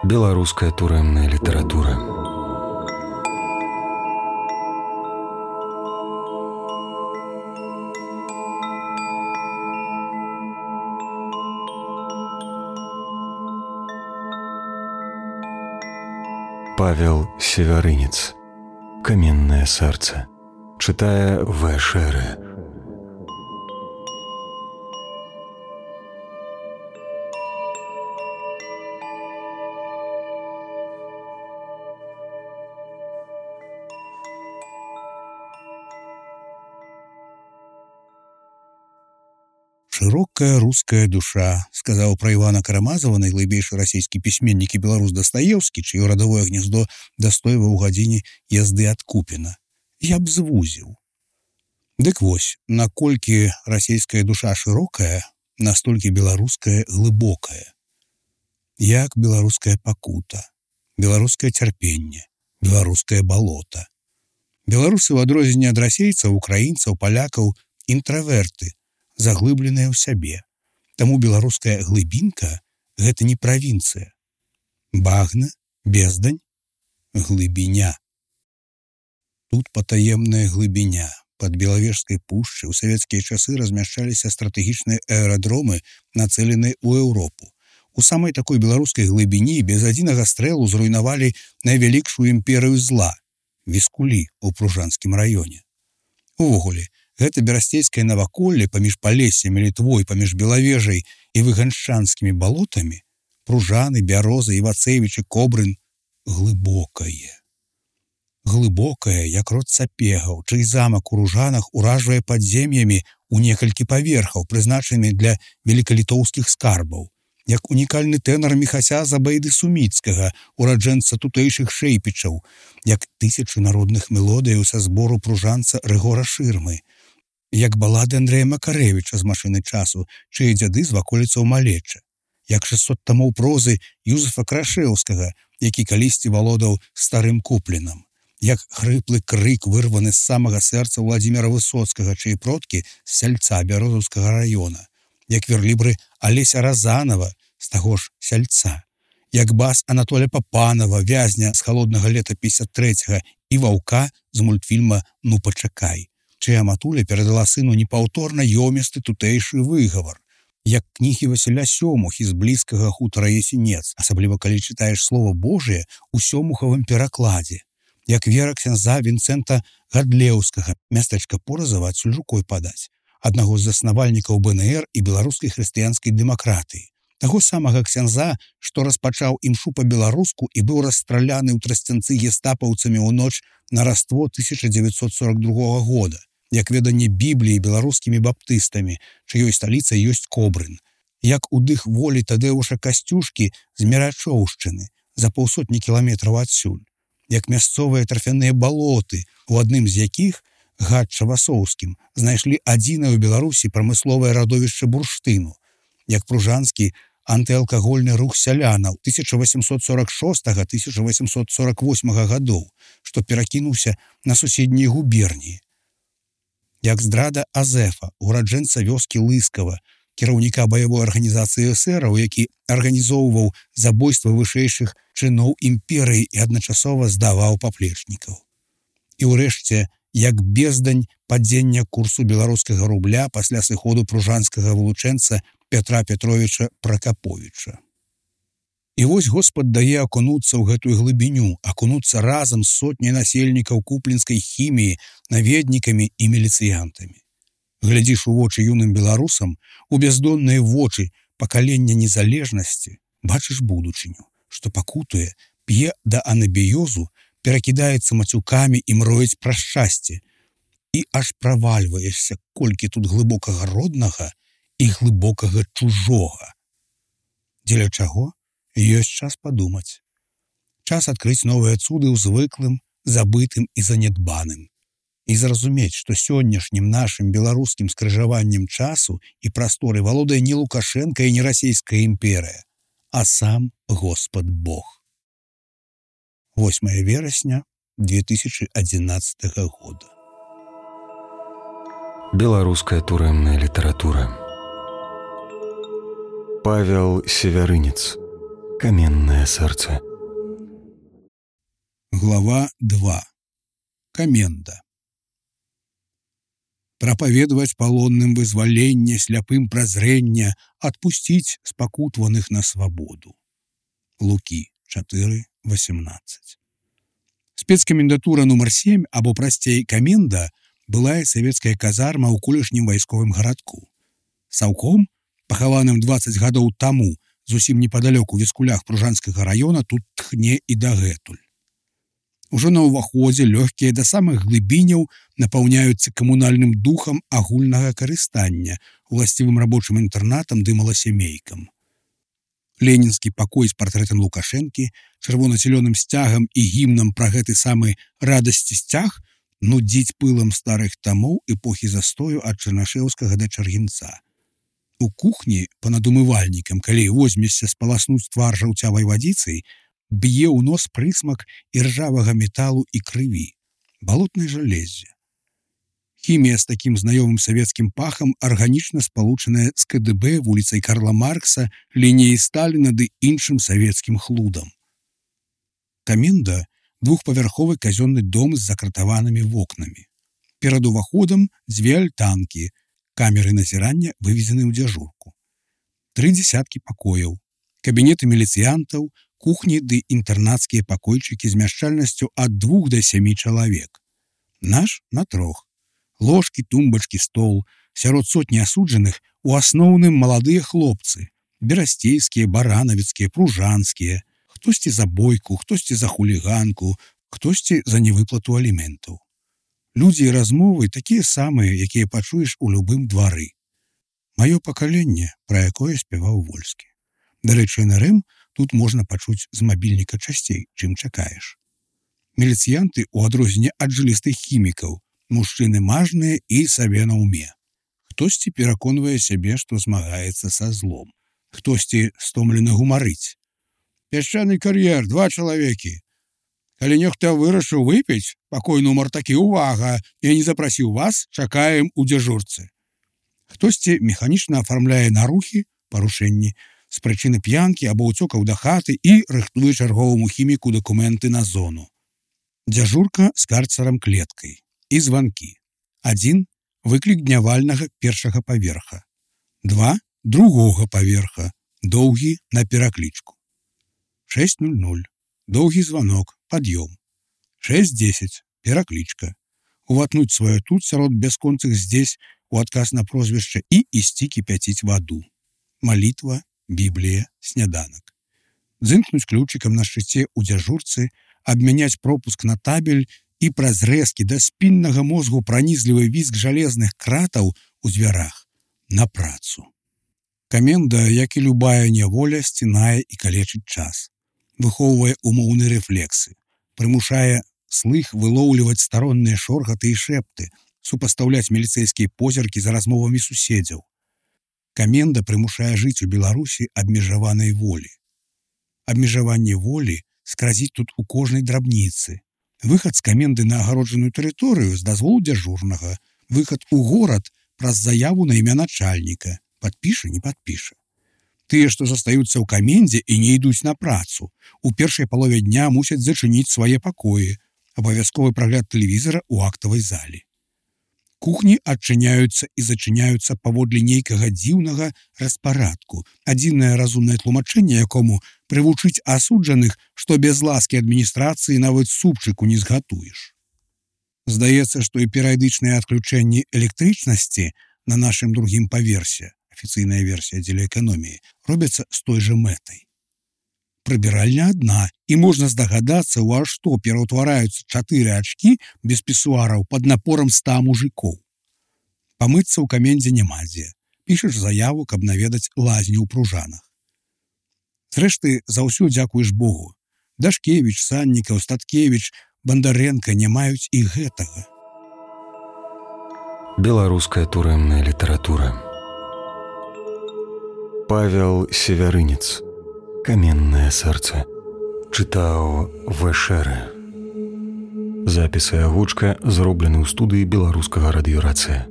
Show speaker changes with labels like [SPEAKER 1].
[SPEAKER 1] Беларуская турэмная літаратура. Павел Севярынец. «Каменное сердце». Читая В. Шеры.
[SPEAKER 2] «Широкая русская душа», сказаў пра Івана Карамазова найглыбейшы расійскі пісьменнік і беларус Дастаеўскі, чыё радавое гнездо дастойваў у гадзіне язды ад Купіна. Я б звузіў. Дык вось, наколькі расійская душа шырокая, настолькі беларуская глыбокая. Як беларуская пакута, беларускае цярпенне, беларускае балота. Беларусы, у адрозненне ад расейцаў, украінцаў, палякаў, інтраверты, заглыбленыя ў сябе. Таму беларуская глыбінка – гэта не правінцыя. Багна, бездань, глыбіня. Тут патаемная глыбіня. Пад Белавежскай пушчай у савецкія часы размяшчаліся стратэгічныя аэрадромы, нацэленыя ў Еўропу. У самай такой беларускай глыбіні без адзінага стрэлу зруйнавалі найвялікшую імперыю зла – Віскулі ў Пружанскім раёне. Увогуле, гэта берасцейскае наваколле паміж Палессем і Літвой, паміж Белавежай і выганшчанскімі балотамі, Пружаны, Бяроза, Івацэвіч і Кобрын глыбокае. Глыбокае, як род сапегаў, чый замак у Ружанах уражвае падзем'ямі ў некалькі паверхаў, прызначанымі для велікалітоўскіх скарбаў, як унікальны тэнар Міхася Забейды Суміцкага, ураджэнца тутэйшых шэйпічаў, як тысячы народных мелодыяў са збору пружанца Рыгора Шырмы, як балады Андрэя Макарэвіча з «Машыны часу», чые дзяды з ваколіцаў Малечча, як 600 тамоў прозы Юзефа Крашэўскага, які калісьці валодаў старым Куплінам, як хрыплы крык, вырваны з самага сэрца Владзіміра Высоцкага, чые продкі з сяльца Бярозаўскага раёна, як верлібры Алеся Разанова з таго ж сяльца, як бас Анатоля Папанова, вязня з «Халоднага лета» 53-го і ваўка з мультфільма «Ну пачакай», чыя матуля перадала сыну непаўторна ёмісты тутэйшы выгавар, як кнігі Васіля Сёмухі з блізкага хутара Ясенец, асабліва калі чытаеш Слова Божие ў сёмухавым перакладзе, як вера ксяндза Вінцэнта Гадлеўскага, мястэчка Поразава адсюль рукой падаць, аднаго з заснавальнікаў БНР і беларускай хрысціянскай дэмакратыі, таго самага ксяндза, што распачаў імшу па-беларуску і быў расстраляны ў Трасцянцы гестапаўцамі ў ноч на Раство 1942 года, як веданне Бібліі беларускімі баптыстамі, чыёй сталіцай ёсць Кобрын, як удых волі Тадэуша Касцюшкі з Мерачоўшчыны за паўсотні кіламетраў адсюль, як мясцовыя тарфяныя балоты, у адным з якіх, Гатча-Васоўскім, знайшлі адзінае ў Беларусі прамысловае радовішча бурштыну, як пружанскі антыалкагольны рух сялянаў 1846-1848 гадоў, што перакінуўся на суседнія губерніі, як здрада Азефа, ураджэнца вёскі Лыскава, кіраўніка баявой арганізацыі эсэраў, які арганізоўваў забойства вышэйшых чыноў імперыі і адначасова здаваў паплечнікаў. І ўрэшце, як бездань падзення курсу беларускага рубля пасля сыходу пружанскага вылучэнца Петра Петровича Пракаповіча. І вось Господ дае акунуцца ў гэтую глыбіню, акунуцца разам з сотняй насельнікаў куплінскай хіміі, наведнікамі і міліцыянтамі. Глядзіш у вочы юным беларусам, у бяздонныя вочы пакалення незалежнасці, бачыш будучыню, што пакутуе, п'е да анабіёзу, перакідаецца мацюкамі і мроіць пра шчасце. І аж правальваешся, колькі тут глыбокага роднага і глыбокага чужога. Дзеля чаго? Ёсць час падумаць. Час адкрыць новыя цуды ў звыклым, забытым і занядбаным. І зразумець, што сённяшнім нашым беларускім скрыжаваннем часу і прасторы валодае не Лукашенка і не расійская імперыя, а сам Господ Бог. 8 верасня 2011 года.
[SPEAKER 1] Беларуская турэмная літаратура. Павел Севярынец. каменное сэрца.
[SPEAKER 2] Глава 2. Каменда. Прапаведаваць палонным вызваленне, сляпым празрэння, адпусціць спакутваных на свабоду. Лукі 4:18. Спецкамендатура нумар 7, або прасцей каменда, былая савецкая казарма ў колішнім вайсковым гарадку. Саўком, пахаваным 20 гадоў таму, зусім непадалёк у Віскулях Пружанскага раёна, тут тхне і дагэтуль. Ужо на ўваходзе лёгкія да самых глыбіняў напаўняюцца камунальным духам агульнага карыстання, уласцівым рабочым інтэрнатам ды маласямейкам. Ленінскі пакой з партрэтам Лукашэнкі, чырвона-зялёным сцягам і гімнам пра гэты самы радасці сцяг нудзіць пылам старых тамоў эпохі застою ад Чарнашэўскага да Чаргінца. У кухні па-над умывальнікам, калі возьмешся спаласнуць твар жаўцявай вадзіцай, б'е ў нос прысмак іржавага металу і крыві, балотнай жалезе. Хімія з такім знаёмым савецкім пахам арганічна спалучаная з КДБ, вуліцай Карла Маркса, лініяй Сталіна ды іншым савецкім хлудам. Каменда – двухпавярховы казённы дом з закратаванымі вокнамі. Перад уваходам 2 альтанкі, камеры назірання вывезены ў дзяжурку. 3 дзесяткі пакояў, кабінеты міліцыянтаў, кухні ды інтэрнацкія пакойчыкі з мяшчальнасцю ад 2 да 7 чалавек. Наш на 3. Ложкі, тумбачкі, стол. Сярод сотні асуджаных у асноўным маладыя хлопцы. Берасцейскія, баранавіцкія, пружанскія. Хтосьці за бойку, хтосьці за хуліганку, хтосьці за невыплату аліментаў. Людзі і размовы такія самыя, якія пачуеш у любым двары. Маё пакаленне, пра якое спяваў Вольскі. Дарэчы, НРМ тут можна пачуць з мабільніка часцей, чым чакаеш. Міліцыянты, у адрозненне ад жылістых хімікаў, мужчыны мажныя і сабе на ўме. Хтосьці пераконвае сябе, што змагаецца са злом. Хтосьці стомлена гумарыць. Пясчаны кар'ер, 2 чалавекі. Калі нехта вырашыў выпіць, пакой нумар такі, увага, я не запрасіў вас, чакаем у дзяжурцы. Хтосьці механічна афармляе нарухі, парушэнні, з прычыны п'янкі або ўцёкаў да хаты і рыхтуе чарговаму хіміку дакументы на зону. Дзяжурка з карцарам-клеткай і званкі. 1 – выклік днявальнага 1-га паверха. 2 – 2-го паверха, доўгі на пераклічку. 6:00. Доўгі званок, пад'ём. 6:10. Пераклічка. Уватнуць сваё тут сярод бясконцых здесь у адказ на прозвішча і ісці кіпяціць ваду. Малітва, Біблія, сняданак. Дзынкнуць ключыкам на шчыце ў дзяжурцы, абмяняць пропуск на табель і праз рэзкі да спіннага мозгу пранізлівы візг жалезных кратаў у дзвярах на працу. Каменда, як і любая няволя, сцінае і калечыць час. Выхоўвае умоўныя рэфлексы, прымушае слых вылоўліваць старонныя шоргаты і шэпты, супастаўляць міліцэйскія позіркі за размовамі суседзяў. Каменда прымушае жыць у Беларусі абмежаванай волі. Абмежаванне волі скразіць тут у кожнай драбніцы. Выхад з каменды на агароджаную тэрыторыю з дазволу дзяжурнага, выхад у горад праз заяву на імя начальніка, падпіша, не падпіша. Тыя, што застаюцца ў камендзе і не ідуць на працу, у першай палове дня мусяць зачыніць свае пакоі, абавязковы прагляд тэлевізара ў актавай залі. Кухні адчыняюцца і зачыняюцца паводле нейкага дзіўнага распарадку, адзінае разумнае тлумачэнне якому прывучыць асуджаных, што без ласкі адміністрацыі нават супчыку не згатуеш. Здаецца, што і перыядычныя адключэнні электрычнасці на нашым другім паверсе, афіцыйная версія дзеля эканоміі, робяцца з той жа мэтай. Прыбіральня адна, і можна здагадацца, у што пераўтвараюцца 4 ачкі без пісуараў пад напорам 100 мужикоў. Памыцца ў камендзе няма дзе. Пішаш заяву, каб наведаць лазню ў Пружанах. Зрэшты, за ўсё дзякуеш Богу. Дашкевіч, Саннікаў, Статкевіч, Бандарэнка не маюць і гэтага.
[SPEAKER 1] Беларуская турэмная літаратура. Павел Севярынец. Каменное сэрца. Чытаў В.Шэрэ. Запіс і агучка зроблены ў студыі беларускага радыёрацыя.